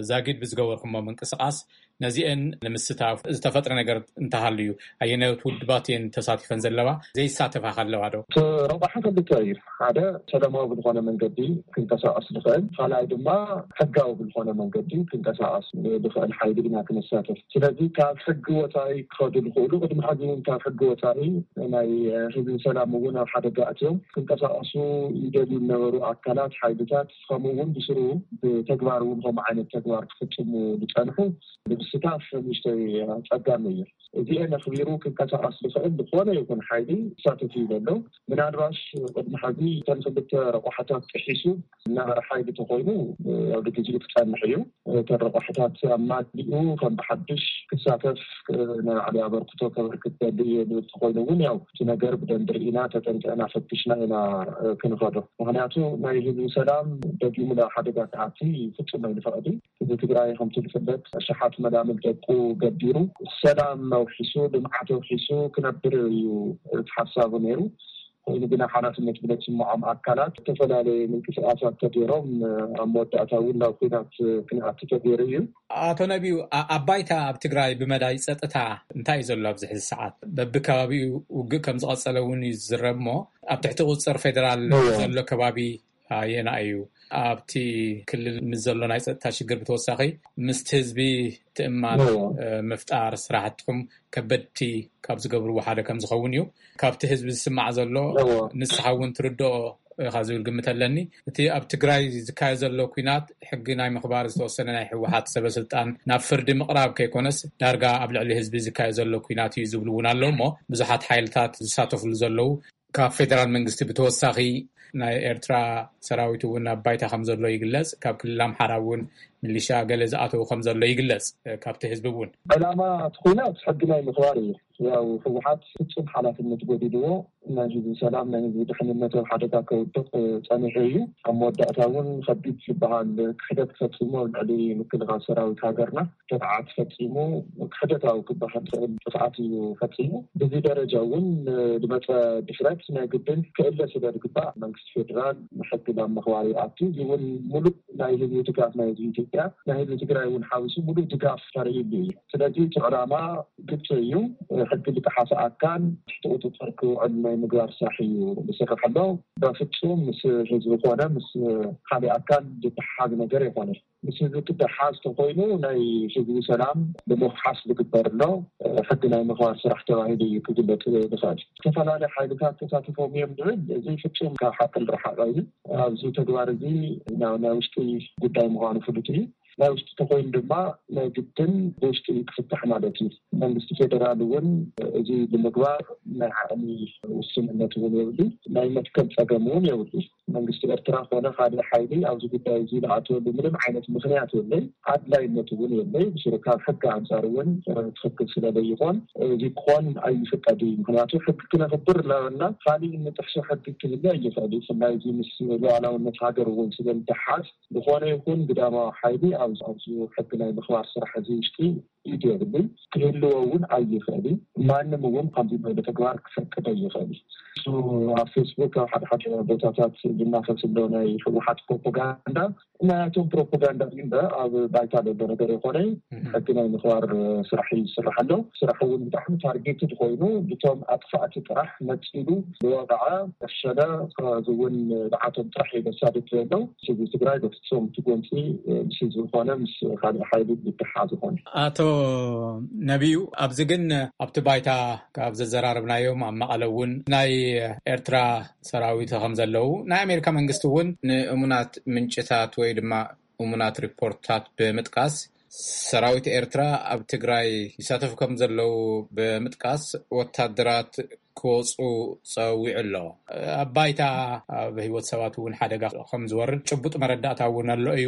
ዛጊድ ብዝገበርኩሞ ምንቅስቃስ ነዚአን ንምስታፍ ዝተፈጥረ ነገር እንተሃልዩ፣ ኣየነዮት ውድባት እየን ተሳቲፈን ዘለዋ? ዘይሳተፋ ከለዋ ዶ? እቲ ረቋሒ ክልተ እዩ። ሓደ ሰላማዊ ብዝኾነ መንገዲ ክንቀሳቀስ ዝኽእል፣ ካልኣይ ድማ ሕጋዊ ብዝኾነ መንገዲ ክንቀሳቀስ ዝኽእል ሓይሊ ኢና ክንሳተፍ። ስለዚ ካብ ሕጊ ወፃኢ ክኸዱ ዝኽእሉ፣ ቅድሚ ሕዚ እውን ካብ ሕጊ ወፃኢ ናይ ህዝቢ ሰላም እውን ኣብ ሓደጋ ኣትዮም ክንቀሳቀሱ ይደልዩ ዝነበሩ ኣካላት፣ ሓይልታት፣ ከምኡ እውን ብስሩ ብተግባር እውን ከምኡ ዓይነት ተግባር ክፍፅሙ ዝፀንሑ ንምስታፍ ንእሽተይ ኣፀጋሚ እዩ። እዚኤን ኣኽቢሩ ክንቀሳቀስ ዝኽእል ዝኾነ ይኹን ሓይሊ ክሳተፍ እዩ ዘሎ። ምናልባሽ ቅድሚ ሕዚ እተን ክልተ ረቋሕታት ጥሒሱ እናበረ ሓይሊ ተኾይኑ ኣብ ግዜኡ ክጸንሕ እዩ። እተን ረቋሕታት ኣማሊኡ ከም ብሓድሽ ክሳተፍ፣ ናይ ባዕሉ ኣበርክቶ ከበርክት ደሊ እየ ዝብል ተኾይኑ እውን ያው እቲ ነገር ብደንቢ ርኢና ተጠንቀና ፈትሽና ኢና ክንኸዶ። ምኽንያቱ ናይ ህዝቢ ሰላም ደጊሙ ናብ ሓደጋ ክኣቲ ፍጹም ኣይንፈቕድን። ህዝቢ ትግራይ ከምቲ ዝፍለጥ ኣሽሓት መላምል ደቁ ገቢሩ ሰላም ኣውሒሱ ልምዓት ኣውሒሱ ክነብር እዩ እቲ ሓሳቡ ነይሩ። ኮይኑ ግና ሓላፍነት ብለይስምዖም ኣካላት ዝተፈላለየ ምንቅስቃሳት ተገይሮም ኣብ መወዳእታ እውን ናብ ኲናት ክንኣቱ ተገይሩ እዩ። ኣቶ ነቢዩ፣ ኣ-፣ ኣብ ባይታ ኣብ ትግራይ ብመዳይ ጸጥታ እንታይ እዩ ዘሎ ኣብዚ ሕዚ ሰዓት? በብከባቢኡ ውግእ ከም ዝቐጸለ እውን እዩ ዝዝረብ እሞ ኣብ ትሕቲ ቁጽጽር ፌደራል እዎ። ዘሎ ከባቢ ኣየናይ እዩ? ኣብቲ ክልል ምስ ዘሎ ናይ ጸጥታ ሽግር ብተወሳኺ ምስቲ ህዝቢ ትእማን፣ እዎ። እ፣ ምፍጣር ስራሕትኹም ከበድቲ ካብ ዝገብርዎ ሓደ ከም ዝኸውን እዩ። ካብቲ ህዝቢ ዝስማዕ ዘሎ እዎ። ንስኻ እውን ትርድኦ ኢኻ ዝብል ግምት ኣለኒ። እቲ ኣብ ትግራይ ዝካየድ ዘሎ ኲናት ሕጊ ናይ ምኽባር ዝተወሰነ ናይ ህወሓት ሰበ ስልጣን ናብ ፍርዲ ምቕራብ ከይኮነስ ዳርጋ ኣብ ልዕሊ ህዝቢ ዝካየድ ዘሎ ኲናት እዩ ዝብሉ እውን ኣለዉ እሞ ብዙሓት ሓይልታት ዝሳተፍሉ ዘለዉ ካብ ፌደራል መንግስቲ ብተወሳኺ ናይ ኤርትራ ሰራዊት እውን ኣብ ባይታ ከም ዘሎ ይግለጽ። ካብ ክልል ኣምሓራ እውን ሚሊሻ ገለ ዝኣተዉ ከም ዘሎ ይግለጽ፣ እ፣ ካብቲ ህዝቢ እውን። ዕላማ እቲ ኲናት ሕጊ ናይ ምኽባር እዩ። ያው ህወሓት ፍጹም ሓላፍነት ጎዲልዎ ናይ ህዝቢ ሰላም፣ ናይ ህዝቢ ድሕንነት ኣብ ሓደጋ ከውድቕ፣ እ፣ ጸኒሑ እዩ። ኣብ መወዳእታ እውን ከቢድ ዝበሃል ክሕደት ፈጺሙ ኣብ ልዕሊ ምክልኻል ሰራዊት ሃገርና ጥቕዓት ፈጺሙ፣ ክሕደታዊ ክበሃል ዝኽእል ጥፍኣት እዩ ፈጺሙ። በዚ ደረጃ እውን፣ እ፣ ዝመጸ ድፍረት ናይ ግድን ክእለ ስለ ዝግባእ መንግስቲ ፌደራል ሕጊ ናብ ምኽባር ይኣቱ። እዚ እውን ሙሉእ ናይ ህዝቢ ድጋፍ ናይ ህዝቢ ኢትዮጵያ፣ ናይ ህዝቢ ትግራይ እውን ሓዊሱ ሙሉእ ድጋፍ ተርእይሉ እዩ። ስለዚ እቲ ዕላማ ግልፂ እዩ። ሕጊ ዝጠሓሰ ኣካል ትሕቲ ቁፅፅር ክውዕል ናይ ምግባር ስራሕ እዩ ዝስራሕ ኣሎ። በፍፁም ምስ ህዝቢ ኮነ ምስ ካልእ ኣካል ዝተሓሓዝ ነገር የኮነ። ምስ ህዝቢ ክደሓዝ ተኮይኑ ናይ ህዝቢ ሰላም ንምውሓስ ዝግበር ኣሎ ሕጊ ናይ ምኽባር ስራሕ ተባሂሉ እዩ ክግለፅ ዝኽእል። ዝተፈላለዩ ሓይልታት ተሳቲፎም እዮም ዝብል፣ እዚ ፍጹም ካብ ሓቂ ዝረሓቐ እዩ። ኣብዚ ተግባር እዚ ናይ ውሽጢ ጉዳይ ምዃኑ ፍሉጥ እዩ። ናይ ውሽጢ ተኮይኑ ድማ ናይ ግድን ብውሽጢ ክፍታሕ ማለት እዩ። መንግስቲ ፌደራል እውን እዚ ንምግባር ናይ ዓቕሚ ውስንነት እውን የብሉ፣ ናይ መትከል ፀገም እውን የብሉ። መንግስቲ ኤርትራ ኮነ ካልእ ሓይሊ ኣብዚ ጉዳይ እዚ ዝኣትወሉ ምንም ዓይነት ምኽንያት የለይ፣ ኣድላይነት እውን የለይ። ብስሩ ካብ ሕጊ ኣንጻር እውን ትኽክል ስለ ዘይኾን እዚ ክኾን ኣይፍቀድ እዩ። ምኽንያቱ ሕጊ ክነኽብር እናበልና ካልእ እንጥሕሶ ሕጊ ክህሉ ኣይኽእል እዩ። ብፍላይ እዚ ምስ ሉዓላውነት ሃገር እውን ስለ ዝተሓዝ ዝኾነ ይኹን ግዳማዊ ሓይሊ ኣብዚ ኣብዚ ሕጊ ናይ ምኽባር ስራሕ እዚ ውሽጢ ኢድ የብሉን፣ ክህልዎ እውን ኣይኽእል እዩ። ማንም እውን ከምዚ ዝበለ ተግባር ክፈቅድ ኣይኽእል እዩ። እሱ ኣብ ፌስቡክ ኣብ ሓደ ሓደ ቦታታት ዝናፈስ ዘሎ ናይ ህወሓት ፕሮፓጋንዳ ናያቶም ፕሮፓጋንዳ እዩ እምበር ኣብ ባይታ ዘሎ ነገር የኮነ። ሕጊ ናይ ምኽባር ስራሕ ይስራሕ ኣሎ። ስራሕ እውን ብጣዕሚ ታርጌትድ ኮይኑ ብቶም ኣጥፋእቲ ጥራሕ መፂሉ ዝወቕዐ፣ ቀሸለ፣ እዚ እውን ንዓቶም ጥራሕ እዩ ዘሳድድ ዘሎ። ህዝቢ ትግራይ በፍጹም እቲ ጎንፂ ምስ ህዝቢ ኮነ ምስ ካልእ ሓይሊ ዝተሓሓዝ ይኾን። ኣቶ ነቢዩ፣ ኣብዚ ግን ኣብቲ ባይታ ካብ ዘዘራረብናዮም ኣብ መቐለ እውን ናይ ኤርትራ ሰራዊት ከም ዘለዉ ናይ ኣሜሪካ መንግስቲ እውን ንእሙናት ምንጭታት ወይ ድማ እሙናት ሪፖርትታት ብምጥቃስ ሰራዊት ኤርትራ ኣብ ትግራይ ይሳተፉ ከም ዘለዉ ብምጥቃስ ወታደራት ክወፁ ፀዊዑ ኣሎ። ኣብ ባይታ ኣብ ህይወት ሰባት እውን ሓደጋ ከም ዝወርድ ጭቡጥ መረዳእታ እውን ኣሎ እዩ።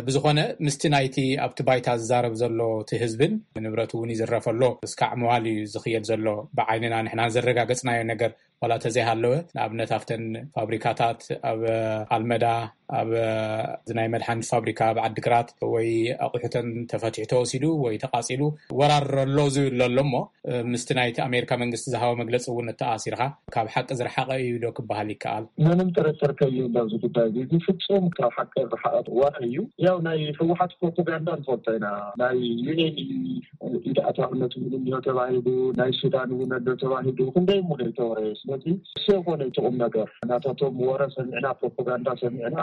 ብዝኾነ ምስቲ ናይቲ ኣብቲ ባይታ ዝዛረብ ዘሎ እቲ ህዝብን ንብረት እውን ይዝረፍ ኣሎ እስካዕ መዋል እዩ ዝኽየድ ዘሎ። ብዓይንና ንሕና ዘረጋገፅናዮ ነገር ዋላ ተዘይሃለወ ንኣብነት ኣብተን ፋብሪካታት ኣብ ኣልመዳ ኣብ ናይ መድሓኒት ፋብሪካ ኣብ ዓዲግራት ወይ ኣቑሑተን ተፈትሑ ተወሲዱ ወይ ተቓፂሉ ወራር ኣሎ ዝብል ኣሎ እሞ ምስቲ ናይቲ ኣሜሪካ መንግስቲ ዝሃቦ መግለፂ እውን እተኣሲርካ ካብ ሓቂ ዝረሓቐ እዩ ዶ ክበሃል ይከኣል? ምንም ጥርጥር ከይህሉ ኣብዚ ጉዳይ እዚ ፍፁም ካብ ሓቂ ዝረሓቐ ወረ እዩ። ያው ናይ ህወሓት ፕሮፓጋንዳ ንፈልጦ ኢና። ናይ ዩኤን ኢድ ኣታውነት እውን እንዮ ተባሂሉ፣ ናይ ሱዳን እውን ኣሎ ተባሂሉ ክንደይ እሞ ዘይተወረየ። ስለዚ እሱ የኮነ እቲ ቁም ነገር ናታቶም ወረ ሰሚዕና ፕሮፓጋንዳ ሰሚዕና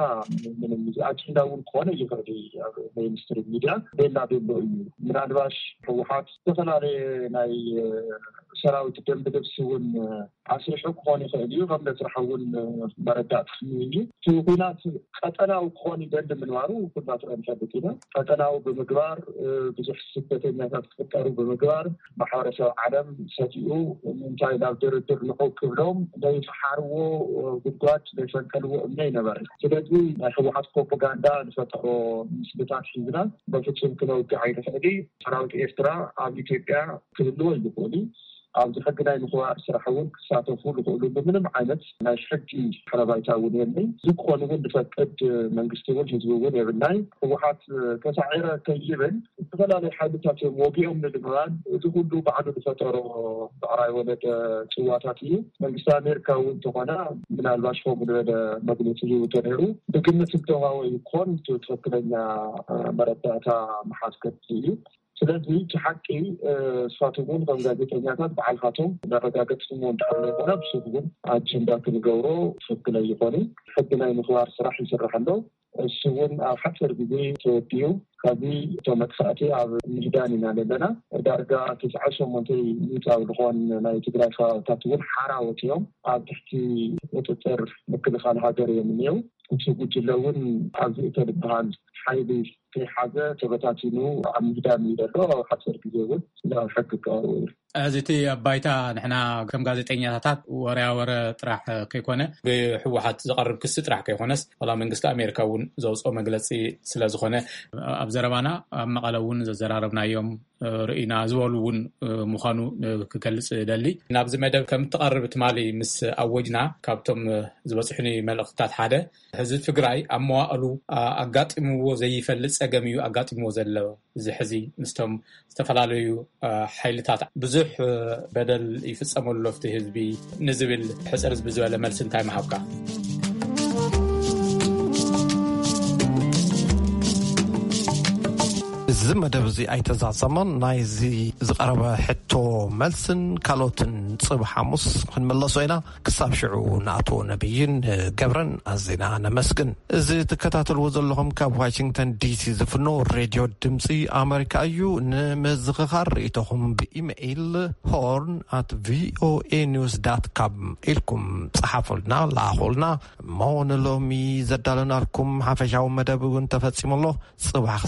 ምንም እዚ ኣጀንዳ እውን ክኾነ ይኽእል ኣብ ሜይንስትሪም ሚድያ ቤላ ቤሎ እዩ። ምናልባሽ ህወሓት ዝተፈላለየ ናይ ሰራዊት ደንብ ልብሲ እውን ኣስሪሑ ክኾን ይኽእል እዩ። ከም ስራሕ እውን መረዳእታ እዩ። እቲ ኩናት ቀጠናዊ ክኾን ይደሊ ምንባሩ ኩላትና ንፈልጥ ኢና። ቀጠናዊ ብምግባር ብዙሕ ስደተኛታት ክፍጠሩ ብምግባር ማሕበረሰብ ዓለም ሰቲኡ እንታይ ናብ ድርድር ንዑ ክብሎም ዘይፈሓርዎ ጉድጓድ ዘይፈንቀልዎ እምነ ይነበረ። ስለዚ ናይ ህወሓት ፕሮፓጋንዳ ዝፈጠሮ ምስልታት ሒዝና በፍጹም ክነውግዕ ኣይንኽእል። ሰራዊት ኤርትራ ኣብ ኢትዮጵያ ክህልዎ ይኽእል እዩ። ኣብዚ ሕጊ ናይ ምኽባር ስራሕ እውን ክሳተፉ ዝኽእሉ ብምንም ዓይነት ናይ ሕጊ ሓረባይታ እውን የለይ። እዚ ክኾን እውን ዝፈቅድ መንግስቲ እውን ህዝቢ እውን የብልናይ። ህወሓት ተሳዒረ ከይብል ዝተፈላለዩ ሓይልታት እዮም ወጊኦም ንምባል እዚ ኩሉ ባዕሉ ዝፈጠሮ ብዕራይ ወለደ ፅዋታት እዩ። መንግስቲ ኣሜሪካ እውን እንተኾነ ምናልባሽ ከምኡ ዝበለ መግለፂ ሂቡ ተነይሩ ብግምት ዝተዋወ ይኮን ትክክለኛ መረዳእታ መሓዝ ከድሊ እዩ። ስለዚ እቲ ሓቂ ንስኻትኩም እውን ከም ጋዜጠኛታት ባዕልካቶም መረጋገፅትሞ እንድሕር ዘይኮነ ብስብ እውን ኣጀንዳ ክንገብሮ ትክክል ኣይኮነ። ሕጊ ናይ ምኽባር ስራሕ ይስራሕ ኣሎ። እሱ እውን ኣብ ሓፂር ግዜ ተወዲኡ ካብዚ እቶም መጥፋእቲ ኣብ ምህዳን ኢና ዘለና። ዳርጋ ትስዓ ሸሞንተ ሚእታዊ ዝኾን ናይ ትግራይ ከባብታት እውን ሓራ ወፂኦም ኣብ ትሕቲ ቁፅፅር ምክልኻል ሃገር እዮም እኒው። እቲ ጉጅለ እውን ኣብዚ እተልበሃል ሓይሊ ከይሓዘ ተበታቲኑ ኣብ ምህዳን እዩ ዘሎ። ኣብ ሓፂር ግዜ እውን ናብ ሕጊ ክቐርቡ እዩ። እዚ እቲ ኣብ ባይታ ንሕና ከም ጋዜጠኛታት ወረያ ወረ ጥራሕ ከይኮነ ብህወሓት ዝቐርብ ክሲ ጥራሕ ከይኮነስ ዋላ መንግስቲ ኣሜሪካ እውን ዘውፅኦ መግለፂ ስለ ዝኾነ ኣብ ዘረባና ኣብ መቐለ እውን ዘዘራረብናዮም ርኢና ዝበሉ እውን ምዃኑ ክገልፅ ደሊ። ናብዚ መደብ ከም እትቐርብ ትማሊ ምስ ኣወጅና ካብቶም ዝበፅሑኒ መልእኽትታት ሓደ ህዝቢ ትግራይ ኣብ መዋእሉ ኣጋጢምዎ ዘይፈልጥ ፀገም እዩ ኣጋጢምዎ ዘሎ። እዚ ሕዚ ምስቶም ዝተፈላለዩ ሓይልታት ብዙሕ በደል ይፍፀመሉ ኣብቲ ህዝቢ ንዝብል ሕፅር ዝበለ መልሲ እንታይ ምሃብካ? እዚ መደብ እዚ ኣይተዛዘመን። ናይዚ ዝቐረበ ሕቶ መልስን ካልኦትን ጽባሕ ሓሙስ ክንምለሶ ኢና። ክሳብ ሽዑ ንኣቶ ነቢይን ገብረን ኣዚና ነመስግን። እዚ ትከታተልዎ ዘለኹም ካብ ዋሽንግተን ዲሲ ዝፍኖ ሬድዮ ድምፂ ኣመሪካ እዩ። ንምዝኽኻር ርእይቶኹም ብኢሜይል ሆርን ኣት ቪኦኤ ኒውስ ዳት ካም ኢልኩም ጸሓፉልና፣ ለኣኹልና። እሞ ንሎሚ ዘዳለናልኩም ሓፈሻዊ መደብ እውን ተፈጺሙ ኣሎ። ጽባሕ